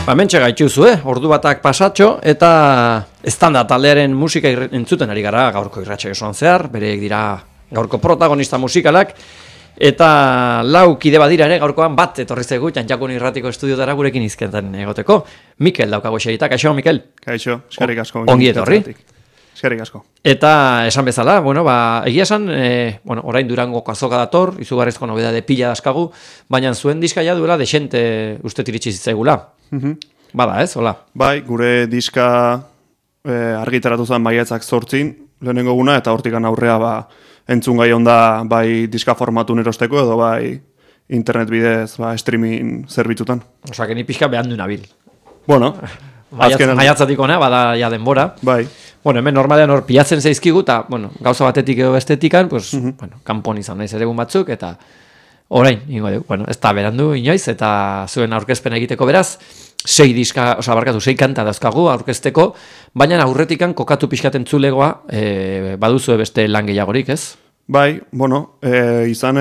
Mentxe gaituzu, ordu batak pasatxo, eta estanda taldearen musika entzuten ari gara gaurko irratsaio osoan zehar, bereek dira gaurko protagonista musikalak, eta lau kide badira ere gaurkoan bat etorri zaigu Txantxakun irratiko estudiotara gurekin izketan egoteko. Mikel daukago xerita, kaixo, Mikel? Kaixo, eskerrik asko. Ongi etorri. Eskerrik asko. Eta esan bezala, egia esan, orain Durango azoka dator, izugarrizko nobedade pila daskagu, baina zuen diska ja duela desente uste iritsi zitzaigula. Bada ez, hola? Bai, gure diska argitaratu zen maiatzak 8 lehenengo guna, eta hortikan aurrea entzun gai onda bai diska formatun erosteko edo bai internet bidez streaming zerbitzutan. Osa, ni pixka behan du nabil. Bueno, maiatzatik ona, bada ja denbora. Bai. Hemen normalean hor pilatzen zaizkigu, eta gauza batetik edo bestetikan, kanpon izan naiz ere egun batzuk, eta orain, ez da berandu inoiz, eta zuen aurkezpen egiteko beraz, 6 kanta dauzkagu aurkezteko, baina aurretikan kokatu pixkaten zulegoa, baduzu beste lan gehiagorik, ez? Bai, izan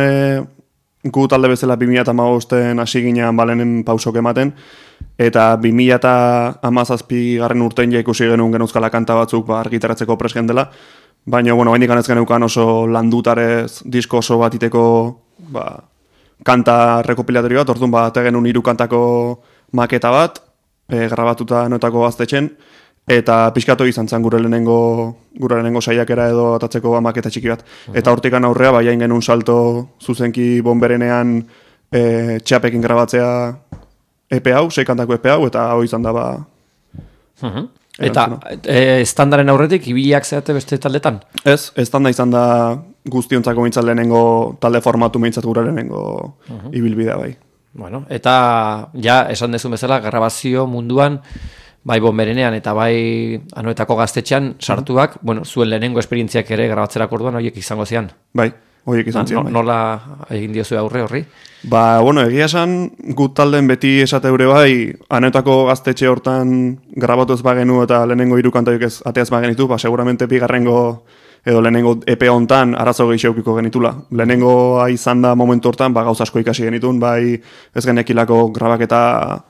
gu talde bezala 2015 hasi ginean balenen pausok ematen, eta 2017 garren urtein ikusi genuen genuzkala kanta batzuk argitaratzeko presgen dela, baina, hain ikan ez geneukan oso landutarez disko oso bat iteko kanta rekopilatori bat, orduan genuen 3 kantako maketa bat, grabatuta notako gaztetxen, eta pixkatu izan zen gure lehenengo saiakera edo atatzeko maketa txiki bat. Eta hortikan aurrea, baiain genuen salto zuzenki bonberenean txapekin grabatzea EP hau, 6 kantako EP hau, eta hau izan da Eta estandaren aurretik, ibiliak zeate beste taldetan? Ez, estanda izan da guztiontzako mintzat lehenengo talde formatu mintzat gure lehenengo ibilbidea bai. Eta ja, esan dezun bezala, grabazio munduan, bai bonberenean eta bai Anoetako gaztetxean sartuak, zuen lehenengo esperientziak ere grabatzerako orduan horiek izango zian. Bai, horiek izan zian. Nola egin diozu aurre horri? Egia esan, gut talden beti esate eure bai, Anoetako gaztetxe hortan grabatu ez bagenu eta lehenengo 3 kantaik ez ateaz bagenitu, seguramente bigarrengo edo lehenengo EP hontan arazo gehiago genitula. Lehenengo izan da momentu hortan gauza asko ikasi genitun, bai ez genekilako grabaketa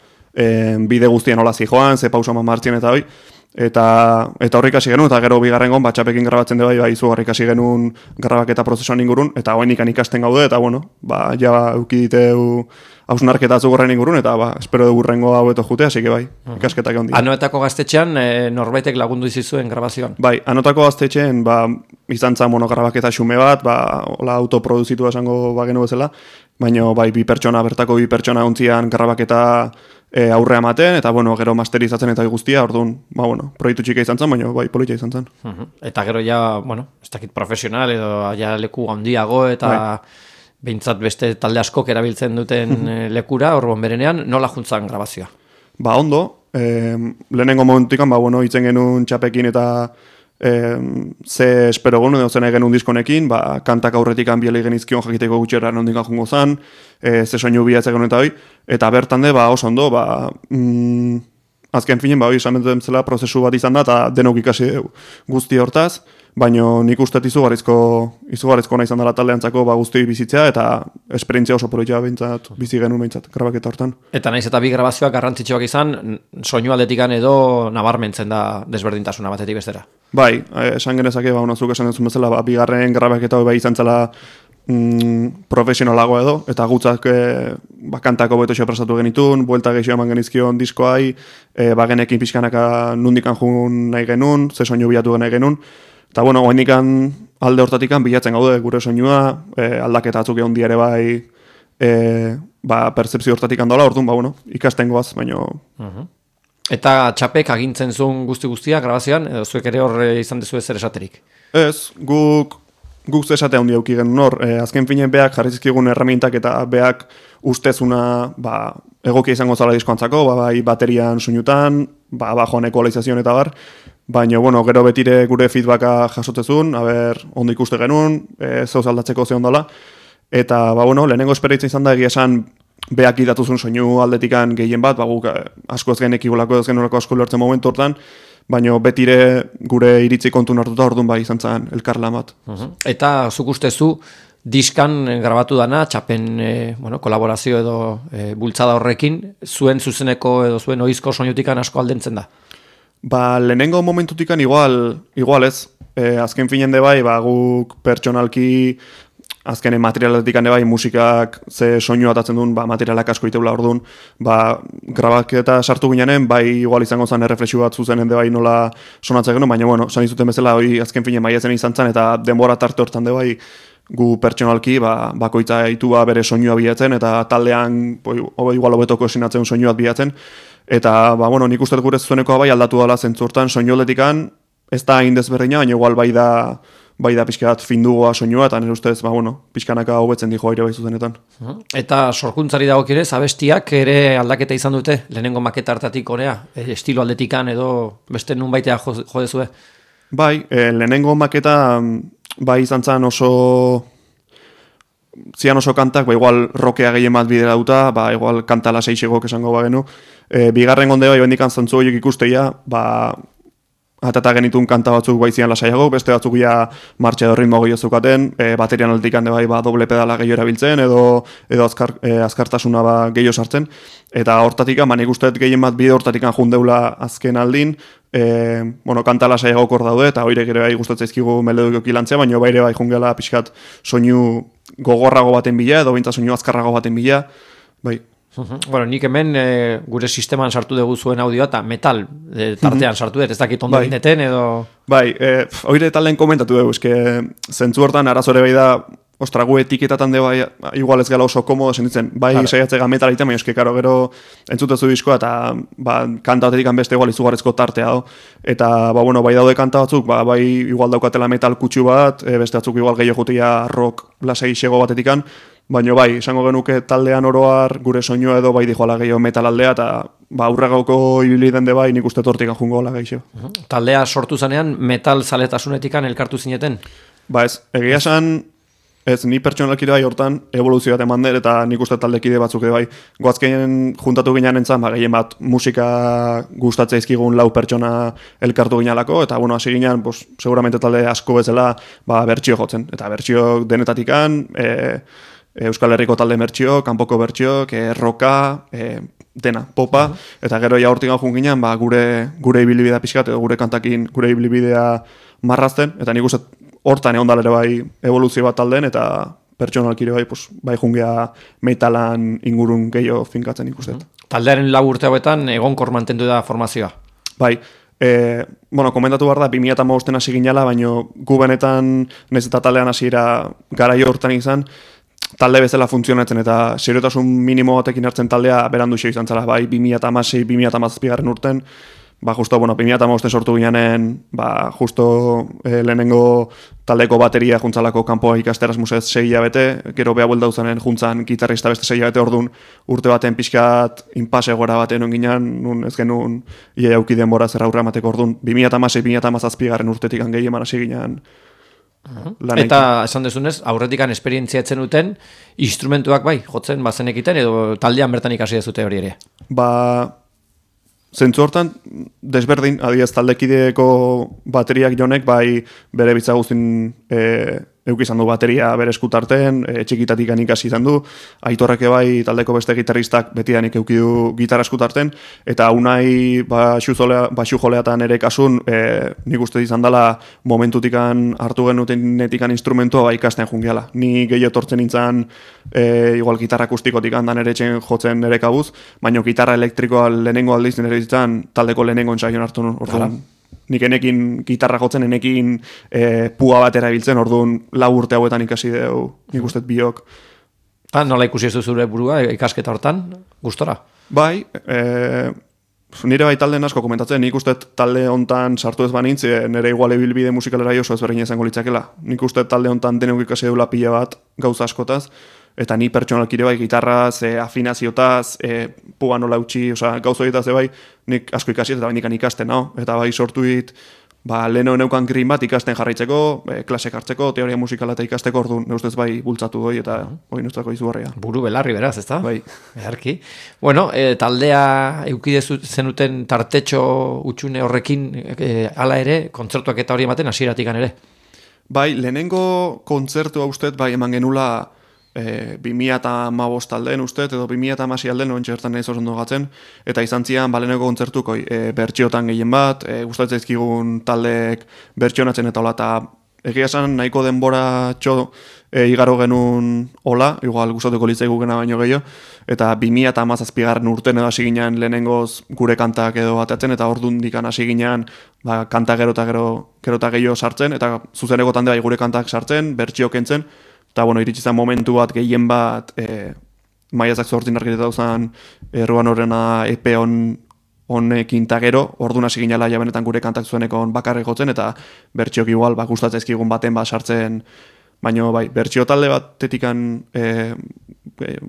bide guztien hola zijoan, ze pausa martxien eta hoi. Eta horrik hasi genuen, eta gero bigarrengon txapekin grabatzen de bai izugarrik hasi genuen grabaketa prozesuan ingurun, eta hoen ikan ikasten gaude, eta ja eukiditeu hausnarketa azugorren ingurun, eta espero dugu rengo hau eto jute, hasi que bai, ikasketak egon dira. Anoetako gaztetxean norbaitek lagundu izizuen grabazioan? Bai, Anoetako gaztetxean izan zan grabaketa xume bat, hola autoproduzitua esango bagenu bezala, baina bai bertako 2 pertsona ontzian grabaketa aurrea ematen, eta gero masterizatzen eta guztia, orduan, proiektu txika izan zen, baina bai politia izan zen. Eta gero ja, ez dakit profesional edo ja leku handiago eta behintzat beste talde askok erabiltzen duten lekura, hor bonberenean, nola juntzan grabazioa? Ondo, lehenengo momentukan, hitzen genuen txapekin eta ze espero gonu, edo zen genuen diskonekin, kantak aurretik biele genizkion jakiteko gutxera nondikan jungo zan, ze soinu bilatzea genuen eta hoi, eta bertan de, oso ondo, azken finen, izan duten zela prozesu bat izan da, eta denok ikasi guzti hortaz, baina nik uste izugarrizko nahi izan dela taldeantzako guztioi bizitzea, eta esperientzia oso poroitzea bizi genuen behintzat, grabaketa hortan. Eta naiz eta bi grabazioak garrantzitsuak izan, soinu aldetikan edo nabarmentzen da desberdintasuna batetik bestera. Bai, esan genezake, zuk esan duzun bezala, bigarren grabaketa hori izan zela profesionalagoa edo, eta gutzak kantako beto prestatu genitun, buelta gehiago eman genizkion diskoai, bagenekin pixkanaka nundikan jun nahi genuen, ze soinu bilatu nahi genuen, eta oainikan alde hortatikan bilatzen gaude gure soinua, aldaketa atzuk egon diare bai, percepzio hortatikan dola, orduan, ikasten goaz, baina... Eta txapek agintzen zuen guztia grabazioan, edo zuek ere hor izan dezu ezer esaterik? Ez, guk esatea hundi auki genuen hor, azken finen beak jarrizizkigun erramintak eta beak ustezuna egokia izango zala diskoantzako, bai baterian soinutan, bajoan ekualizazioan eta bar, baina, gero betire gure feedbacka jasotzezun, ondo ikuste genuen, zehoz aldatzeko ze ondala, eta, lehenengo esperientzia izan da egia esan beak idatuzun soinu aldetikan gehien bat, guk asko ez genekigulako ez genurako asko lortzen momentu hortan, baina betire gure iritzi kontun hartuta orduan izan zen elkarlan bat. Eta zuk ustezu diskan grabatu dana, txapen kolaborazio edo bultzada horrekin, zuen zuzeneko edo zuen oizko soinutikan asko aldentzen da. Ba, lehenengo momentutikan igual ez. Azken finen de bai, ba, guk pertsonalki azkenen materialetik hande bai, musikak ze soinu atatzen duen, ba, materialak asko iteula orduan, ba, grabak eta sartu ginean, bai, igual izango zen erreflexio bat zuzenen de bai nola sonatzen genuen, baina, bueno, san izuten bezala, hoi azken finen maiatzen izan zen, eta denbora tarte hortan de bai, gu pertsonalki, ba, bakoitza itua bere soinua bilatzen, eta taldean, igual hobetoko esinatzen soinuat bilatzen, eta, ba, bueno, nik uste gure zuzeneko bai aldatu dela zentzu hortan, soinu aldetikan, ez da hain desberdina, baina igual bai da pixka bat findugoa soinua, eta nire ustez, ba, bueno, pixkanaka hobetzen dijo aire bai zuzenetan. Eta sorkuntzari dagokionez, abestiak ere aldaketa izan dute, lehenengo maketa hartatik honea, estilo aldetikan edo beste nun baitea jodezue? Bai, lehenengo maketa bai izan zen zian oso kantak, ba, igual rokea gehien bat bidera duta, ba, igual kanta laseixegok esango bagenu. Bigarren gonde bai, bendikan zantzu horiek ikusteia, ba, atata genitun kanta batzuk baizian lasaiago, beste batzuk ja martxa edo ritmo gehiago zeukaten, baterian aldetik hande bai, ba, doble pedala gehiago erabiltzen, edo azkartasuna ba, gehiago sartzen, eta hortatik, nik usteet gehien bat bide hortatik jundeula azken aldin, kanta lasaiago kor daude, eta hoire gero bai gustatzen zaizkigu melodiko kilantzea, baina baire bai jungela pixkat soinu gogorrago baten bila, edo bintza soinu azkarrago baten bila, bai. Bueno, nik hemen gure sisteman sartu dugu zuen audioa eta metal tartean sartu dut, ez dakit ondo gindeten edo... Bai, oire talen komentatu dugu, eske zentzu hortan arazore bai da, ostra, gu etiketatan de bai, igual ez gala oso komodo sentitzen, bai saiatzega metal egiten, baina eske karo gero entzutezu diskoa eta ba, kanta batetik beste igual izugarrezko tartea do. Eta ba, bueno, bai daude kanta batzuk, ba, bai igual daukatela metal kutsu bat, beste batzuk igual gehiago jutia rock lasai xego batetikan, baina bai, esango genuke taldean oroar gure soinua edo bai dijoala gehiago metal aldea, eta ba, aurragauko ibili den de bai nik uste tortik jungo gola gehiago. Taldea sortu zanean metal zaletasunetikan elkartu zineten? Ba ez, egia esan, ez, ni pertsonalki bai hortan evoluzio bat eman der, eta nik uste taldekide batzuk bai. Goazkeien juntatu ginean entzan, ba, gehien bat musika gustatzea izkigun lau pertsona elkartu ginalako, eta bueno, hasi ginean, pues, seguramente talde asko bezala ba, bertsio jotzen. Eta bertsio denetatikan, Euskal Herriko talde bertsio, kanpoko bertsio, roka, dena, popa, eta gero ja hortik gaujun ginean, ba, gure ibilbidea pixkat, edo gure kantakin gure ibilbidea marrazten, eta nik uste hortan egon dalere bai evoluzio bat taldeen, eta pertsonalkire bai, pues, bai jungea metalan ingurun gehiago finkatzen ikusten. Taldearen 4 urte hauetan egonkor mantendu da formazioa? Bai, komentatu behar da, 2015 hasi ginela, baina gu benetan, nahiz eta taldean hasiera garaio hortan izan, talde bezala funtzionatzen eta seriotasun minimo batekin hartzen taldea berandu xeo izan zela, bai 2016-2017 urten, ba justo, 2015 sortu ginean, ba justo lehenengo taldeko bateria juntzalako kanpoa ikasteraz musez 6 hilabete, gero beha buelda uzanen juntzan gitarrista beste 6 hilabete orduan urte baten pixkat inpase gora baten onginan, nun ez genuen ia jauki denbora zerra aurra emateko orduan, 2016-2017 urtetik gehi eman hasi ginean. Eta esan dezunez, aurretikan esperientzia etzen duten, instrumentuak bai, jotzen bazenekiten, edo taldean bertan ikasi dezute hori ere? Ba, zentzu hortan, desberdin, adiaz taldekideko bateriak jonek, bai bere bitza guztin euk izan du bateria bere eskutarten, txikitatik ikasi izan du, Aitorreke bai taldeko beste gitarristak betidanik euki du gitarra eskutarten, eta unai baxu joleatan ere kasun, nik uste izan dela momentutikan hartu genutikan instrumentua bai ikasten jungiala. Ni gehiago tortzen nintzen igual gitarra akustikotik handan ere etxen jotzen ere kabuz, baina gitarra elektrikoa lehenengo aldiz nire ditzen taldeko lehenengo entsaion hartu orduan. Nik enekin gitarra jotzen, enekin pua bat erabiltzen, orduan 4 urte hauetan ikasi dugu, nik uste biok. Nola ikusi ez du zure burua ikasketa hortan, gustora? Bai, nire bai talden asko komentatzen, nik uste talde hontan sartu ez banintz, nire igual ibilbide musikalera oso ezberdina izango litzakela. Nik uste talde hontan denok ikasi dula pila bat gauza askotaz, eta ni pertsonalkire bai gitarraz, afinaziotaz, pua nola utzi, gauza horietaz bai, nik asko ikasi eta bai ikasten, no? Eta bai sortu dit, ba, leheno neukan green bat ikasten jarraitzeko, klasek hartzeko, teoria musikala eta ikasteko orduan, neustez bai bultzatu goi eta hori neustako izugarria. Buru belarri beraz, ezta? Bai. Beharki. Bueno, taldea eukide zenuten tartetxo utxune horrekin hala ere, kontzertuak eta hori ematen hasieratik ere? Bai, lehenengo kontzertua uste, bai, eman genula 2015 aldean uste, edo 2016 aldean, noen txertan nahi zozondo gatzen, eta izan zian, lehenengo kontzertuko bertxiotan gehien bat, gustatzen zaizkigun taldeek bertxionatzen eta hola, eta egia esan nahiko denbora igaro genuen hola, igual gustatuko litzaigu gena baino gehiago, eta 2017 urten edo hasi ginean lehenengoz gure kantak edo bateatzen, eta ordundikan hasi ginean kanta gero eta gehiago sartzen, eta zuzeneko tande bai gure kantak sartzen, bertxio kentzen, eta bueno, iritsi zen momentu bat gehien bat maiatzak 8 argiteta dauzan erruan horrena EP honekin ta gero, orduan hasi ginela ja benetan gure kantak zuenekon bakarrik jotzen, eta bertxiok igual gustatzen zaizkigun baten sartzen, baina bai, bertxio talde batetikan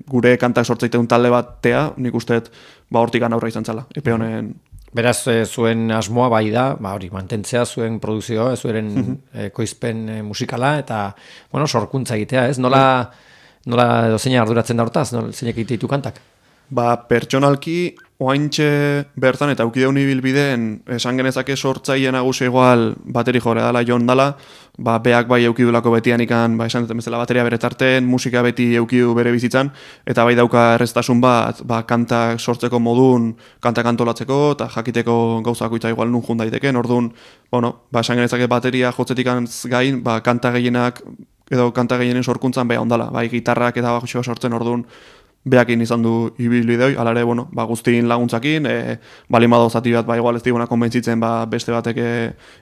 gure kantak sortzeiteun talde batea, nik usteet hortikan aurra izan zala, EP honen. Beraz, zuen asmoa bai da, hori, mantentzea zuen produzioa, zuen ekoizpen musikala, eta, bueno, sorkuntza egitea, ez? Nola edo zeina arduratzen da hortaz, zeinek egite ditu kantak? Pertsonalki, oaintxe bertan, eta aukideun ibilbideen, esan genezake sortzaile nagusi igual bateri jore dala, Jon dala, beak bai eukidulako betian ikan, esan duten bezala bateria bere tarten, musika beti eukidu bere bizitzan, eta bai dauka erreztasun bat, kantak sortzeko modun, kantak antolatzeko, eta jakiteko gauzako itza igual nun jun daiteken, orduan, esan genezake bateria jotzetikan gain, kanta gehienak, edo kanta gehienen sorkuntzan beha ondala, gitarrak eta baxoa sortzen orduan, behakin izan du ibilbideoi, alare, guztiin laguntzakin, balimado zati bat, igual ez diguna konbentzitzen, beste batek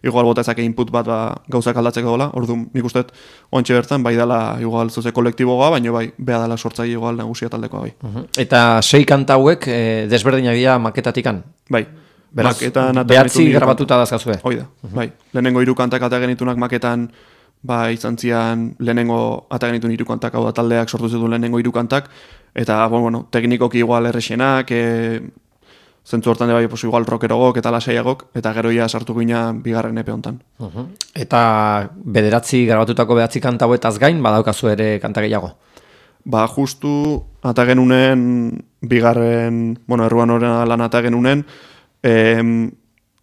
igual botezake input bat, gauzak aldatzeko dola, orduan nik usteet, ontxe bertan, dela igual zuze kolektiboa, baina beha dela sortzaile igual nagusia taldekoa, bai. Eta 6 kanta hauek, desberdinak dira maketatikan? Bai. Beraz, behatzi grabatuta dazkazue? Oida, bai. Lehenengo 3 kantak ata genitunak maketan, izan zian lehenengo ata genitun 3 kantak, hau da taldeak sortu zituen lehenengo 3 kantak, eta, teknikoki igual errexenak, zentzu hortan de bai, igual rockerogok eta lasaiagok, eta gero ia sartu gina bigarren epe hontan. Eta grabatutako 9 kanta hauetaz gain, badaukazu ere kanta gehiago? Justu ata genunen bigarren, erruan horren lan ata genunen,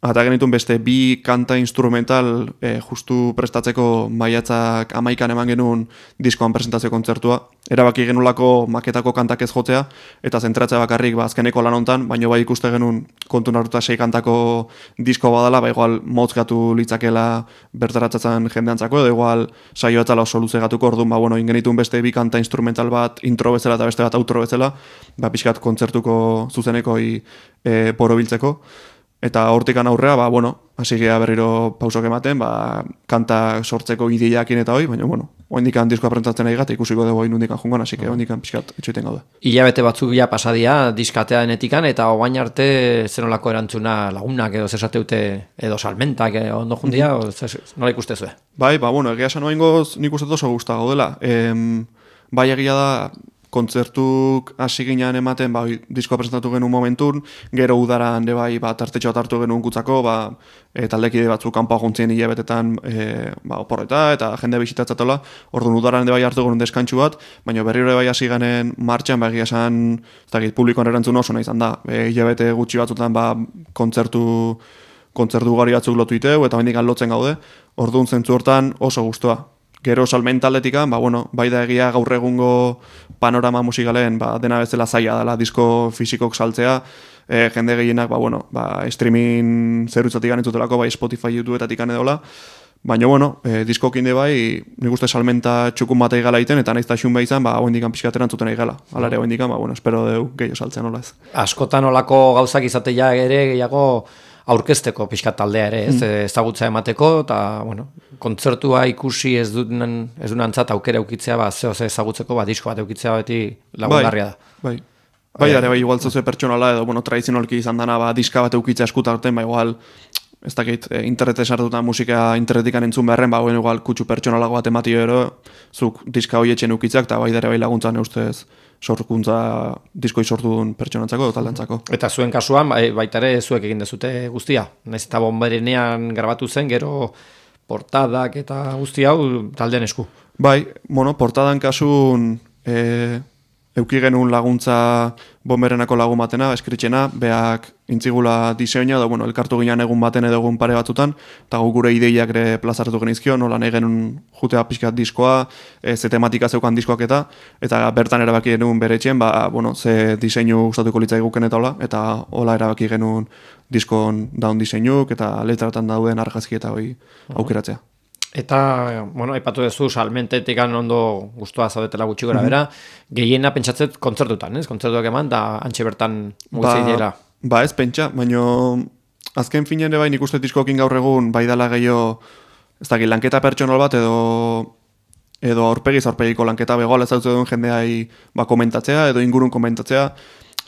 ata genitun beste 2 kanta instrumental justu prestatzeko maiatzak 11an eman genuen diskoan presentazio kontzertua. Erabaki genulako maketako kantak ez jotzea, eta zentratzea bakarrik azkeneko lan hontan, baina bai ikuste genuen kontu narruta 6 kantako disko badala, igual motzgatu litzakela bertaratzatzen jendeantzako, edo igual saio etzala oso luze gatuko, orduan, ingenitun beste 2 kanta instrumental bat intro bezala eta beste bat outro bezala, pixkat kontzertuko zuzenekoi borobiltzeko. Eta hortikan aurrea, hasi gea berriro pausok ematen, kanta sortzeko ideiakin eta hoi, baina, oindikan diskoa presentatzen nahi gata, ikusiko dugu inundikan jungan, hasi que oindikan pixkat etxoiten gauda. Hilabete batzuk ja pasadia diskatea denetikan, eta oain arte zenolako erantzuna lagunak edo zesateute edo salmentak ondo jundia, nola ikustezue? Bai, egia esan oaingoz nik uste oso gusta gaudela. Bai egia da, kontzertuk hasi ginean ematen, diskoa presentatu genuen momentun, gero udaran de bai, tartetxo bat hartu genuen kutzako, taldekide batzuk kanpoa jontzien hilabetetan oporreta, eta jende bisitatzatola, orduan udaran de bai hartu genuen deskantxu bat, baina berriro bai hasi genen martxan, egia esan, publikoan erantzun oso nahi izan da, hilabete gutxi batzutan kontzertu gari batzuk lotu iteu, eta bendikan lotzen gaude, orduan zentzu hortan oso gustoa. Gero salmentaldetikan, bai da egia gaur egungo panorama musikalen dena bezala zaila dela disko fisikok saltzea, jende gehienak streaming zerutzatik entzutelako, Spotify, YouTubetatik edola, baina diskokin de bai, nik uste salmenta txukun bat egala iten, eta nahiz xun behizan, oendikan pixkateran zuten egala. Alare oendikan, espero deu gehiago saltzen hola ez. Askotan olako gauzak izatea ere gehiago aurkezteko pixkat taldea ere, ezagutza emateko, eta, kontzertua ikusi ez dunantzat aukera eukitzea, zehose ezagutzeko, disko bat eukitzea beti lagungarria da. Bai, igual zoze pertsonala edo, tradizionalki izan dana, diska bat eukitzea eskutarten, igual, ez dakit, internete sartutan musika internetikan entzun beharren, igual kutsu pertsonalago bat ematio ero, zuk diska hoietxen eukitzak, eta bai laguntzan eustez, sorkuntza diskoi sortu duen pertsonantzako edo taldantzako. Eta zuen kasuan, baita ere zuek egin dezute guztia. Naiz eta bomberenean grabatu zen, gero portadak eta guzti hau taldean esku. Bai, portadan kasun euki genuen laguntza Bomberenako lagun batena, eskritxena, beak intzigula diseina, edo, bueno, elkartu ginen egun baten edo egun pare batzutan, eta gure ideiak ere plazaratu genizkio, nola nahi genuen jutea pixkat diskoa, ze tematika zeukan diskoak eta bertan erabaki genuen bere etxen, bueno, ze diseinu gustatuko litzaiguken eta hola erabaki genuen diskon daun diseinuk, eta letratan dauden argazki eta hori aukeratzea. Eta, bueno, aipatu duzu, salmentetik ondo guztua zaudetela gutxi gora bera, gehiena pentsatzet kontzertutan, ez? Kontzertuak eman, da antxe bertan mugitzei dira. Ba ez pentsa, baina azken finean bai nik uste diskokin gaur egun bai dala gehiago, ez dakit, lanketa pertsonal bat edo aurpegiko lanketa begoala ez duen jendeai komentatzea edo ingurun komentatzea.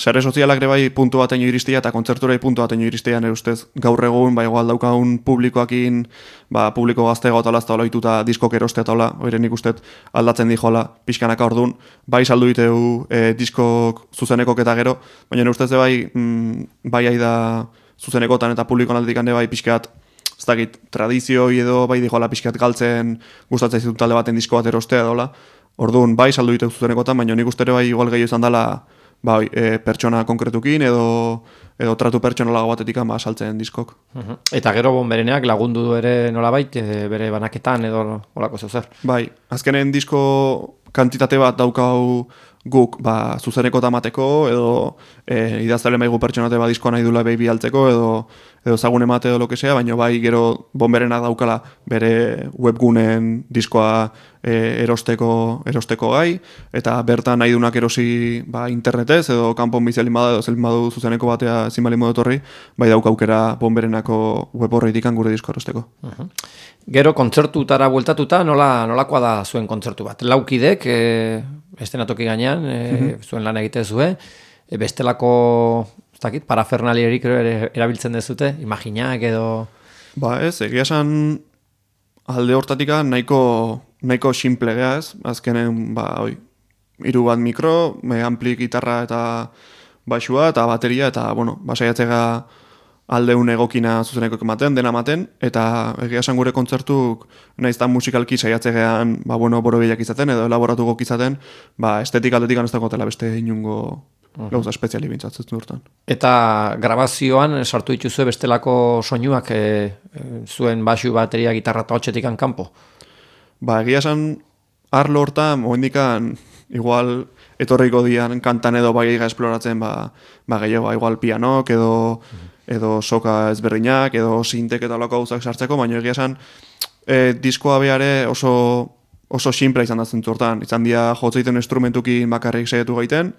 Sare sozialak ere bai puntu bateño iristea eta kontzerturai puntu bateño iristea nire ustez gaur egun igual daukagun publikoakin publiko gaztega eta olazta oloituta diskok erostea eta ola, oire nik ustez aldatzen dijoala pixkanaka ordun, bai saldu diteu diskok zuzenekok eta gero, baina nire ustez bai aida zuzenekotan eta publikoan aldetik bai pixkat ez dakit, tradizioi edo bai dijoala pixkat galtzen gustatzen zitut talde baten disko bat erostea edo ola, ordun bai saldu diteu zuzenekotan, baina nik uste bai igual gehiago izan dela pertsona konkretukin edo tratu pertsonalago batetik saltzen diskok. Eta gero Bombereneak lagundu du ere nolabait bere banaketan edo olako zer. Bai, azkenen disko kantitate bat daukau guk zuzeneko tamateko edo idaztale maigu pertsonate diskoa nahi dula behi altzeko edo zagun emate edo lokesea, baina bai gero Bomberenak daukala bere webgunen diskoa erosteko gai, eta bertan nahi dunak erosi internetez edo kanpon bizelin bada edo zelin badu zuzeneko batea ezin bali modotorri, bai daukaukera Bomberenako web horreitik gure disko erosteko. Gero kontzertutara bueltatuta nolakoa da zuen kontzertu bat? Laukidek, estenatoki gainean, zuen lan egite zue, bestelako parafernalierik erabiltzen dezute, imaginak edo... Ez, egia esan alde hortatika nahiko simple geha ez, azkenen, hiru bat mikro, ampli gitarra eta baxua eta bateria, eta, saiatzega aldeun egokina zuzeneko ematen, dena ematen, eta egia esan gure kontzertuk naiztan musikalki saiatzegean, borobilak izaten, edo elaboratuko izaten, estetik aldetik ez dakotela beste inungo gauza espeziali bintzatzen durtan. Eta grabazioan sartu dituzue bestelako soinuak zuen baxu, bateria, gitarra eta hotxetik kanpo? Egia esan, arlo hortan, oendikan, igual, etorriko dian kantan edo baiga esploratzen, gehiago, igual pianok edo soka ezberdinak, edo sintek eta olako gauzak sartzeko, baina egia esan, diskoa beare oso simple izan da zentzu hortan. Izan dira jotzeiten instrumentukin bakarrik saiatu gaiten,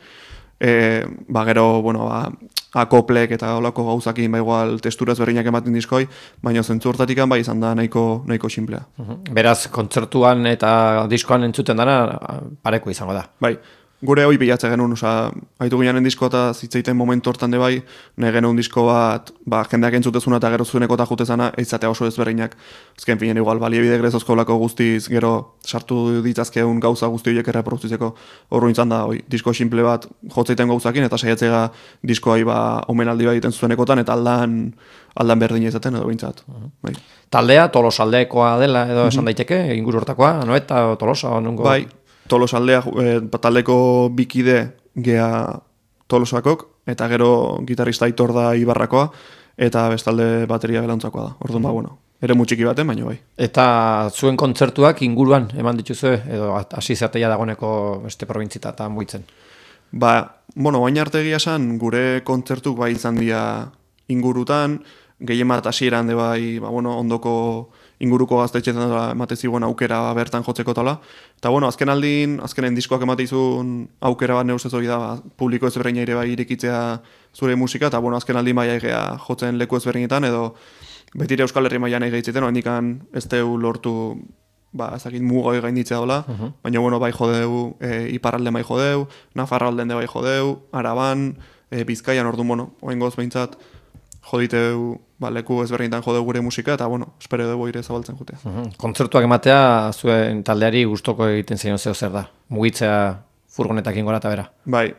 gero, akoplek eta olako gauzakin igual testura ezberdinak ematen diskoi, baina zentzu hortatik izan da nahiko simplea. Beraz, kontzertuan eta diskoan entzuten dara pareko izango da. Bai. Gure hoi bilatze genuen, haitu ginean disko eta zitzeiten momentu hortan de bai, nahi genuen disko bat, jendeak entzutezuna eta gero zueneko eta jutezana, eizatea oso ezberdinak. Azken finen igual, baliebide grezozko lako guztiz, gero sartu ditzazkeun gauza guzti horiek erreproduzitzeko horro izan da, disko simple bat jotzeiten gauzakin, eta saiatzega diskoai omenaldi bat egiten zuenekotan, eta aldan berdin izaten edo bintzat. Taldea, Tolosaldekoa dela edo esan daiteke, inguru hortakoa, Anoeta, Tolosa, nongo... Bai. Tolosaldea, taldeko bikide gea Tolosakok, eta gero gitarrista Aitor da Ibarrakoa, eta bestalde bateria belantzakoa da. Orduan, ere mutxiki baten, baina bai. Eta zuen kontzertuak inguruan eman dituzue, edo hasi zerteia dagoeneko beste probintzita eta muitzen? Baina arte egia esan, gure kontzertuk bai izan dira ingurutan, gehien bat hasieran de bai, ondoko inguruko gaztetxetan emate zigoen aukera bertan jotzeko tala. Eta azkenen diskoak emate izun aukera bat neuzez hori da, publiko ezberdina ere bai irikitzea zure musika, eta azken aldin bai egea jotzen leku ezberdinetan, edo betire Euskal Herri mailan egeitzeten, hendikan ez deu lortu ezakit mugoi gainditzea dola, baina bai jodeu, iparralde bai jodeu, Nafarralden de bai jodeu, Araban, Bizkaian, orduan, oengoz behintzat, joditeu, leku ezberdinetan jodeu gure musika, eta, espero dugu ire zabaltzen jutea. Kontzertuak ematea, zuen taldeari gustoko egiten zein zer da? Mugitzea furgonetakin gora eta bera? Bai,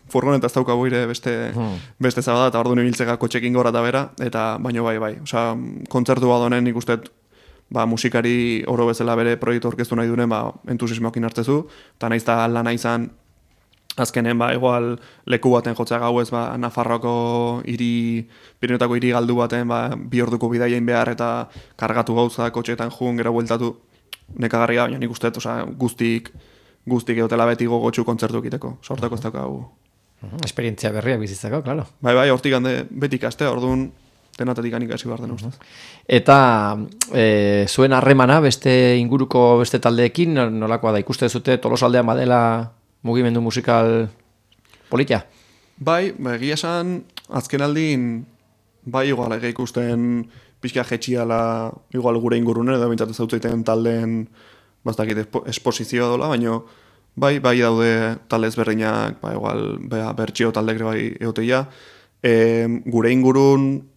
furgoneta ez daukagu ire beste zabada, eta orduan ibiltzeka kotxekin gora eta bera, eta baino bai. Osa, kontzertu badonen ikustet, musikari oro bezala bere proiektu orkestu nahi duen, entusiasmoakin hartzezu, eta nahiz da lana izan azkenen, igual leku baten jotzea gauez, Nafarroako Pirinotako hiri galdu baten, 2 orduko bidaiain behar eta kargatu gauza, kotxeetan jun, gero bueltatu, nekagarria, baina nik uste, guztik egotela beti gogotxu kontzertu egiteko, sortako ez daukagu. Esperientzia berriak bizitzako, klaro. Bai, hortik hande beti ikaste, orduan denatatik ikasi behar den ustez. Eta zuen harremana beste inguruko beste taldeekin, nolakoa da, ikuste zute Tolosaldean badela mugimendu musikal politia? Bai, egia esan, azken aldin, igual, ikusten pixka jetxiala, igual gure ingurunen, edo bintzat zautzeiten taldeen, bastakit esposizioa dola, baina bai daude talde ezberdinak, igual, bertxio taldek bai egoteia. Gure ingurun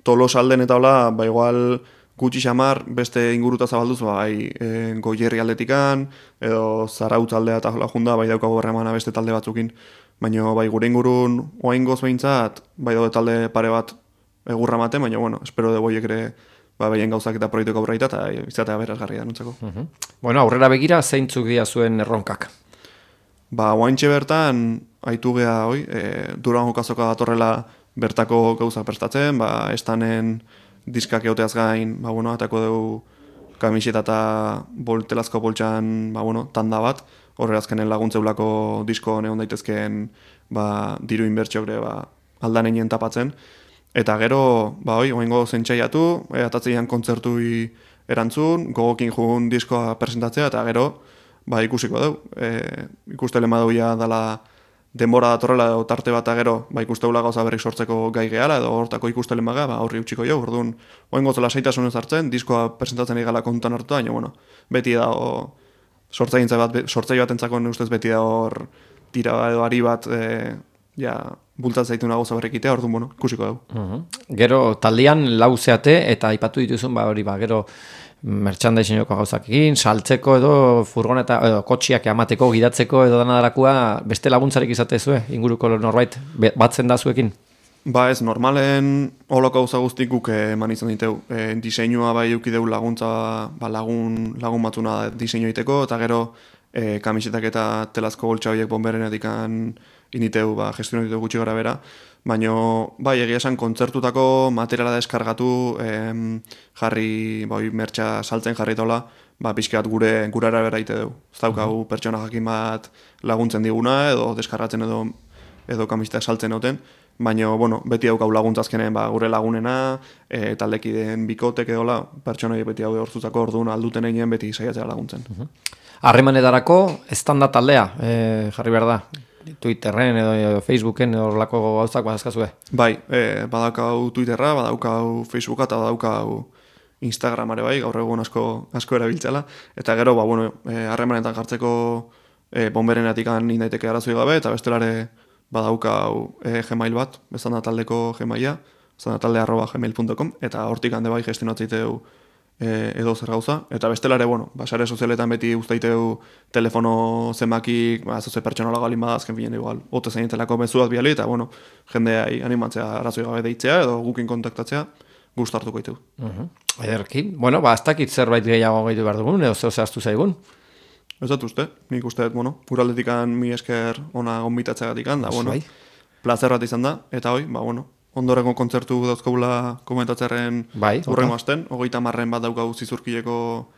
Tolosalden eta hola, igual gutxi xamar beste inguruta zabalduz, Goierri aldetikan, edo Zarautz aldea eta hola junda, daukago berremana beste talde batzukin. Baina gure ingurun oaingoz behintzat, daude talde pare bat egurra mate, baina espero de boiek ere behien gauzak eta proiektuko aurreita eta izatea berazgarri da nuntzako. Bueno, aurrera begira zeintzuk dira zuen erronkak? Oaintxe bertan, haitu geha Durango kazoka datorrela bertako gauza prestatzen, estanen diskak egoteaz gain, atako dugu kamiseta eta telazko boltxan, tanda bat, horre azkenen laguntzeulako disko neon daitezkeen diru inbertsiok ere aldanenien tapatzen. Eta gero, oaingo zentsaiatu, atatzeian kontzertui erantzun, gogokin jugun diskoa presentatzea, eta gero, ikusiko dugu. Ikuste lema duia dala denbora datorrela edo tarte bat gero, ikusteula gauza berrik sortzeko gai gehala, edo hortako ikuste lemaga, horri utxiko jo, orduan, oaingo zela saitasunez hartzen, diskoa presentatzen egala kontutan hartuta, baina, beti da, sortzai bat entzako ustez beti da hor tira edo ari bat, bultatzen zaituna gauza berrikitea, orduan, ikusiko dugu. Gero, taldean lauzeate, eta aipatu dituzun, gero, merchandisingoko gauzakekin, saltzeko edo furgoneta edo kotxiak amateko, gidatzeko edo danadarakua beste laguntzarik izatezue, inguruko norbait batzen da zuekin? Ez, normalen holoko gauza guztik guk eman izan diteu. Diseinua eukideu laguntza, lagun batzuna diseinu egiteko, eta gero kamisetak eta telazko boltsa horiek bomberenetik initeu, gestionatu diteu gutxi gara bera. Baina, egia esan kontzertutako materiala deskargatu, jarri, mertxa saltzen jarri tola, pixkat gure arabera ite dugu. Ez daukagu pertsona jakin bat laguntzen diguna, edo deskargatzen edo kamisetak saltzen duten, baina, beti daukau laguntzazkenen gure lagunena, taldekideen bikotek edola, pertsonai beti hau hortzuzako orduan alduten egin beti saiatzea laguntzen. Harremanetarako estanda taldea, jarri behar da? Twitterren edo Facebooken edo lako gauzak badazkazue? Badaukau Twitterra, badaukau Facebooka eta badaukau Instagramare gaur egun asko erabiltzela. Eta gero, harremanetan jartzeko bomberenetik indaiteke arazoi gabe, eta bestelare badaukau Gmail bat, bezan taldeko Gmaila, bezanatalde@gmail.com, eta hortik hande gestionatzeiteu edo zer gauza, eta bestelare, sare sozialetan beti uztaiteu telefono zenbaki, zoze pertsonala galin bada, azken finen igual, ote zainitelako mezuaz biali, eta jendea animatzea arazoi gabe deitzea, edo gukin kontaktatzea, gustartuko ditu. Ederki, ez dakit zerbait gehiago gehiago behar dugun, edo zehaztu zaigun? Ez dut uste, nik uste, uraldetikan mi esker ona gonbitatzeagatik da, plazer bat izan da, eta ondorengo kontzertu dauzkagula komentatzearen urrengo asten, 30 bat daukau Zizurkileko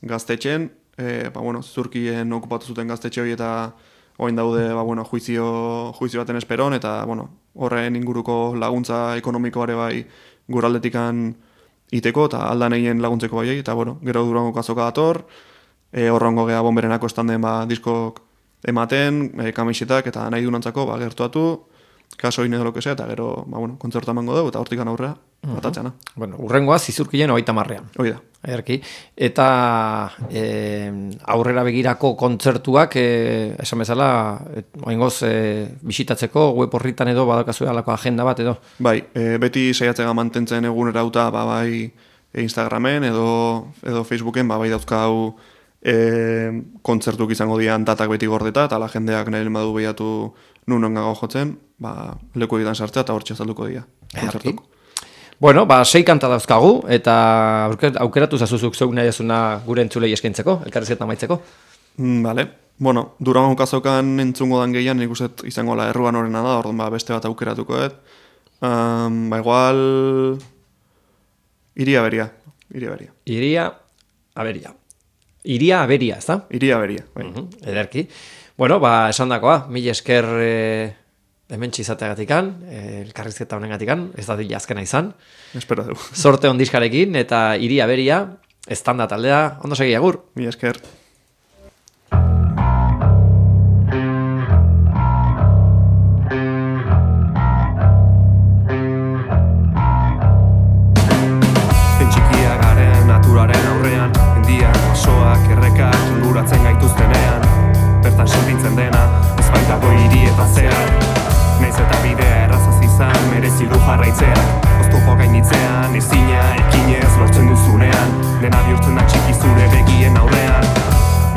gaztetxen, Zizurkien okupatu zuten gaztetxe hori eta oain daude juizio baten esperon, eta horren inguruko laguntza ekonomikoare guraldetikan iteko, eta aldan egin laguntzeko bai, eta gero Durango kazoka dator, horrengo geha bomberenako estanden diskok ematen, kamisetak eta nahi dunantzako gertuatu, kaso edo lo que sea, eta gero, kontzertu emango dugu, eta hortikan aurrea, batatzeana. Urrengoa Zizurkilen 30. Hoi da. Ederki. Eta aurrera begirako kontzertuak, esan bezala, oingoz bisitatzeko, web horritan edo badakazue alako agenda bat edo? Beti saiatzega mantentzen egunera uta, Instagramen edo Facebooken, dauzkau kontzertuk izango dian datak beti gordeta, eta la jendeak nahi lemadu behiatu nun ongago jotzen, leku egiten sartzea eta hortxe azalduko dira. Kontzertuk. 6 kanta dauzkagu, eta aukeratu zazuzuk zeuk nahi azuna gure entzulei eskaintzeko, elkarrizketan maitzeko. Bale, Bueno, Durango kazokan entzungo dan gehian, nik uste izango la erruan horrena da, orduan beste bat aukeratuko dut. Igual... Iria Aberia. Iria Aberia, ez da? Iria Aberia, bai. Ederki. Bueno, esan dakoa, mil esker hementsi izateagatikan, elkarrizketa honengatikan, ez da dila azkena izan. Espero dugu. Sorte ondiskarekin, eta Iria Aberia, estanda taldea, ondo segi agur. Mil esker. Inguratzen gaituztenean, bertan sentitzen dena, ez baitako hiri eta zehar. Naiz eta bidea errazaz izan, merezi du jarraitzeak. Oztopo gainitzean, ezina, ekinez lortzen duzunean, dena bihurtzen da txiki zure begien aurrean.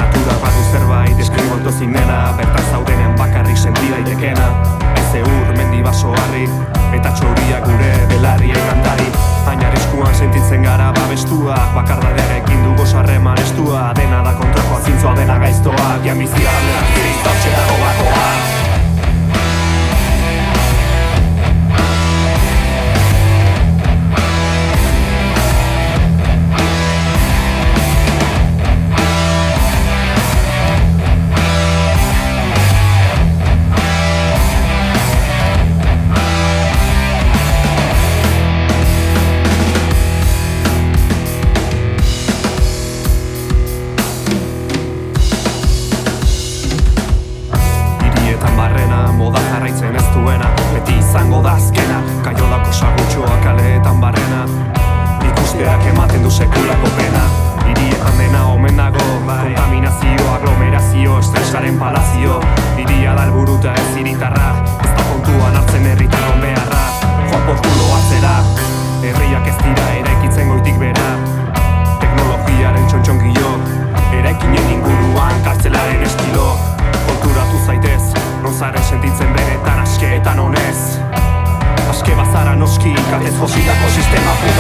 Natura badu zerbait, deskribotu ezin dena, bertan zaudenen bakarrik senti daitekena. Haize ur, mendi baso harri, eta txoria gure belarriei kantari. Baina arriskuan sentitzen gara babestuak, bakardadearekin dugu sarreman estua. Dena da kontrakoa, zintzoa dena gaiztoak, jamizia aldenak ziriztautxe dago bakoak. Izango da azkena, kaiolako sagutxoa kaleetan barrena. Ikusteak ematen du sekulako pena. Hirietan dena omen dago, kontaminazio, aglomerazio, estresaren palazio. Hiria da helburuta ez hiritarra, ez da kontuan hartzen herritarron beharra. Joan porkulo atzera, herriak ez dira eraikitzen goitik bera. Teknologiaren txontxongilo, eraikinen inguruan kartzelaren estilo. Konturatu zaitez, non zaren sentitzen benetan askeetan honez. Aske bazara noski, katez fosilako sistema puta.